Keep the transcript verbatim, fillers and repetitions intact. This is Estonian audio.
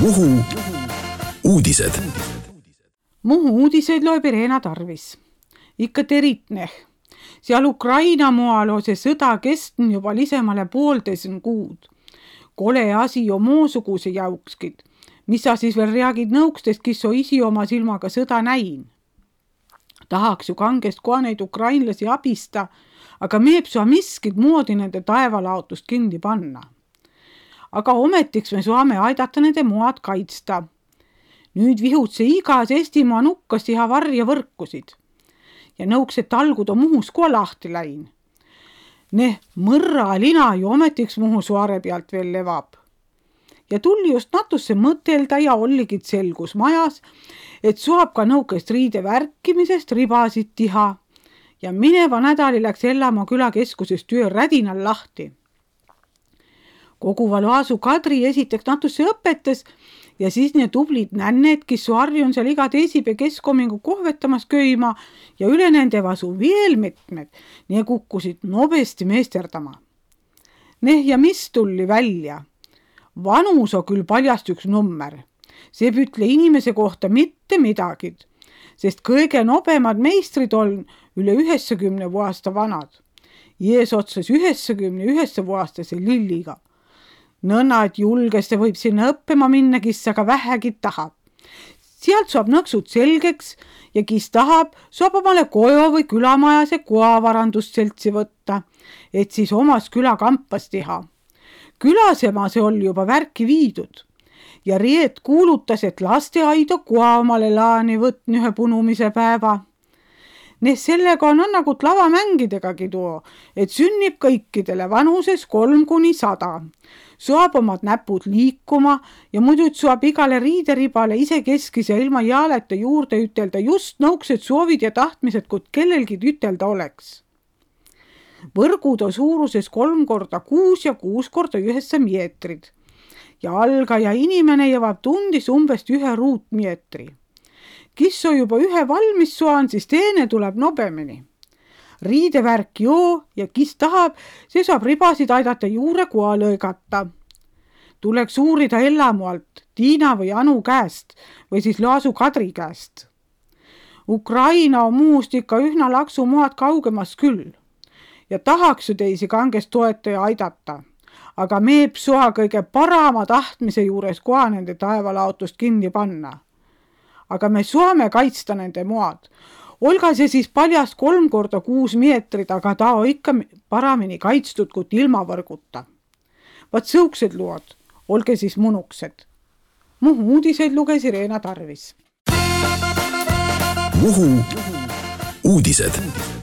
Muhu uudised. Muhu uudiseid loeb Irena Tarvis. Ikka teritneh. Seal Ukraina moal on see sõda kestnud juba lisemale poolteisen kuud. Kole asi jo muusuguse jaukskid. Mis sa siis veel reagid nõukstest, kes so isi oma silmaga sõda näin? Tahaks ju kangest koha neid ukrainlasi abista, aga meeb sua miskid moodi nende taevalaotust kindi panna. Aga ometiks me saame aidata nende moad kaitsta. Nüüd vihutse igas Eestimaa nukkas teha varja võrkusid. Ja nõuks, et talgud on Muhus koha lahti läin. Neh mõrra lina ju ometiks Muhu suare pealt veel levab. Ja tuli just natusse mõtelda ja olligid selgus majas, et suab ka nõukest riide värkimisest ribasid tiha. Ja mineva nädali läks Ellamaa külakeskuses töö rädinal lahti. Koguva Laasu Kadri esiteks natusse õpetas ja siis need tublid nänned, kes su harju on seal iga teisipea keskomingu kohvetamas köima ja üle nende vasu veel mitmed, nii kukkusid nobesti meesterdama. Neh ja mis tuli välja? Vanus on küll paljast üks nummer. See pütle inimese kohta mitte midagi, sest kõige nobemad meistrid on üle üheksakümne aasta vanad. Jees otsas üheksakümne üheksa aastase Lilliga. Nõnna, et julgeste võib sinna õppima minna, kes aga vähegi tahab. Sealt saab nõksud selgeks ja kes tahab, saab omale kojo või külamajase koavarandust seltsi võtta, et siis omas külakampas teha. Külasema see oli juba värki viidud ja Riet kuulutas, et lasteaido koa omale laani võtni ühe punumise päeva. Need sellega on nagu lavamängidegagi tuo, et sünnib kõikidele vanuses kolm kuni sada. Suab omad näpud liikuma ja muidu suab igale riideribale ise keskis ja ilma jaaleta juurde ütelda just nõuksed soovid ja tahtmised, kui kellelgi ütelda oleks. Võrgud on suuruses kolm korda kuus ja kuus korda üheksa meetrid ja algaja inimene jõvab tundis umbes ühe ruutmeetri. Kes on juba ühe valmis suan, siis teine tuleb nobemini. Riidevärk joo ja kes tahab, see saab ribasid aidata juure koha lõigata. Tuleks uurida Ellamualt, Tiina või Anu käest või siis Laasu Kadri käest. Ukraina on muust ikka ühna laksu moad kaugemas küll ja tahaks ju teisi kangest toetaja aidata, aga meeb soa kõige parama tahtmise juures koha nende taevalaotust kinni panna. Aga me saame kaitsta nende moad. Olga see siis paljast kolm korda kuus meetrid, aga ta on ikka paramini kaitstud kui ilma võrguta. Vaat sõuksed lood, olge siis munuksed. Muhu uudiseid luges Irena Tarvis. Muhu uudised.